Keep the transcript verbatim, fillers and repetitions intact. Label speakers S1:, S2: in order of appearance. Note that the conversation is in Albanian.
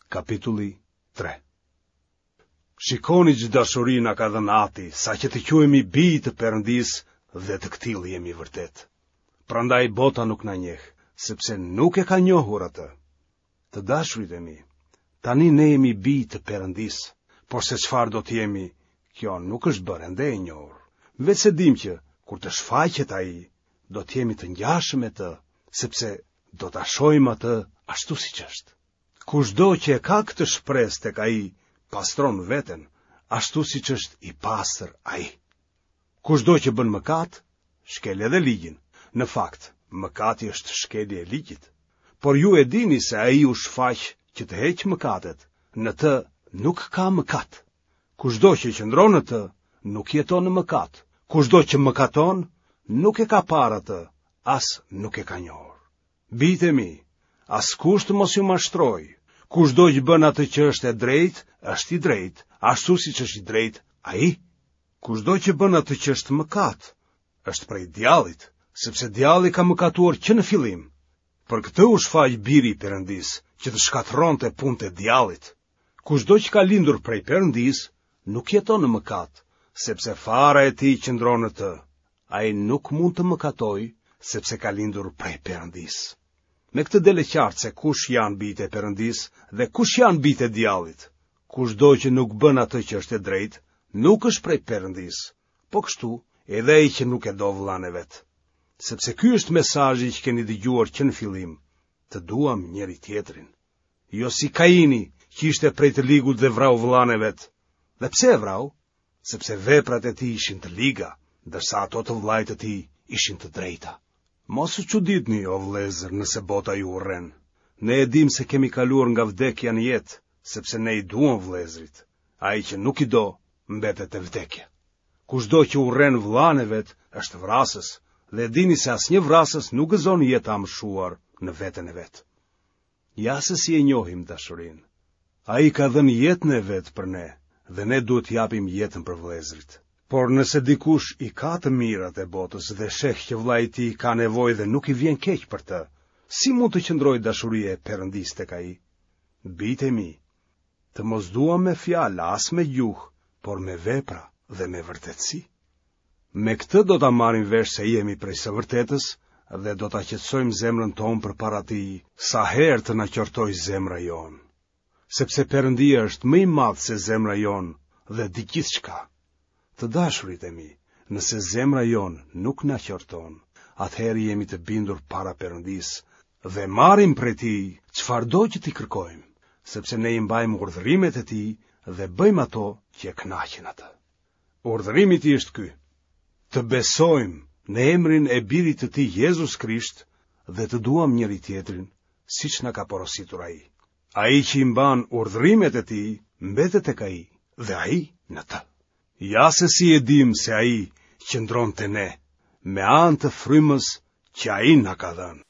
S1: Kapitulli tre. Shikoni ç'dashuri na ka dhënë Ati, saqë të quhemi bij të Perëndisë dhe të këtillë jemi vërtet. Prandaj bota nuk na njeh, sepse nuk e ka njohur atë. Të dashurit e mi, tani ne jemi bij të Perëndisë, por se çfarë do të jemi, kjo nuk është bërë ende e njohur. Veçse dimë që, kur të shfaqet ai, do të jemi të ngjashëm me të, sepse do ta shohim atë ashtu siç është. Kushdo që e ka këtë shpresë tek ai, pastron veten, ashtu siç është i pastër ai. Kushdo që bën mëkat, shkel edhe ligjin. Në fakt, mëkati është shkelje e ligjit. Por ju e dini se ai u shfaq që të heqë mëkatet, në të nuk ka mëkat. Kushdo që qëndron në të, nuk jeton në mëkat. Kushdo që mëkaton, nuk e ka parë atë, as nuk e ka njohur. Bijtë e mi, askush të mos ju mashtrojë. Kushdo që bën atë që është e drejtë, është i drejtë, ashtu siç është i drejtë ai. Kushdo që bën atë që është mëkat, është prej djallit, sepse djalli ka mëkatuar që në fillim. Për këtë u shfaq biri i Perëndisë, që të shkatërronte punët e djallit. Kushdo që ka lindur prej Perëndisë, nuk jeton në mëkat, sepse fara e tij qëndron në të. Ai nuk mund të mëkatojë, sepse ka lindur prej Perëndisë. Me këtë del e qartë se kush janë bijtë e Perëndisë dhe kush janë bijtë e djallit. Kushdo që nuk bën atë që është e drejtë, nuk është prej Perëndisë. Po kështu, edhe ai që nuk e do vëllanë e vet. Sepse ky është mesazhi që keni dëgjuar që në fillim, të duam njëri tjetrin. Jo si Kaini, që ishte prej të ligut dhe vrau vëllanë e vet. Dhe pse e vrau? Sepse veprat e tij ishin të liga, ndërsa ato të vëllait të tij ishin të drejta. Mos u çuditni, o vëllezër, nëse bota ju urren. Ne e dimë se kemi kaluar nga vdekja në jetë, sepse ne i duam vëllezërit. Ai që nuk i do, mbetet te vdekja. Kushdo që urren vëllanë e vet, është vrasës, dhe e dini se asnjë vrasës nuk gëzon jetë të amshuar në veten e vet. Ja se si e njohim dashurinë. Ai ka dhënë jetën e vet për ne, dhe ne duhet të japim jetën për vëllezërit. Por nëse dikush i ka të mirat e botës dhe sheh që vëllai i tij ka nevojë dhe nuk i vjen keq për të, si mund të qëndrojë dashuria e Perëndisë tek ai? Bijtë e mi, të mos duam me fjalë as me gjuhë, por me vepra dhe me vërtetësi. Me këtë do ta marrim vesh se jemi prej së vërtetës dhe do ta qetësojmë zemrën tonë përpara tij sa herë të na qortojë zemra jonë. Sepse Perëndia është më i madh se zemra jonë dhe di gjithçka. Të dashurit e mi, nëse zemra jonë nuk na qorton, atëherë jemi të bindur para Perëndisë dhe marrim prej tij çfarëdo që t'i kërkojmë, sepse ne i mbajmë urdhërimet e tij dhe bëjmë ato që e kënaqin atë. Urdhërimi i tij është ky: të besojmë në emrin e birit të tij Jezus Krisht dhe të duam njëri tjetrin, siç na ka porositur ai. Ai që i mban urdhërimet e tij, mbetet tek ai dhe ai në të. Ja se si e dimë se ai qëndron te ne, me anë të frymës që ai na ka dhënë.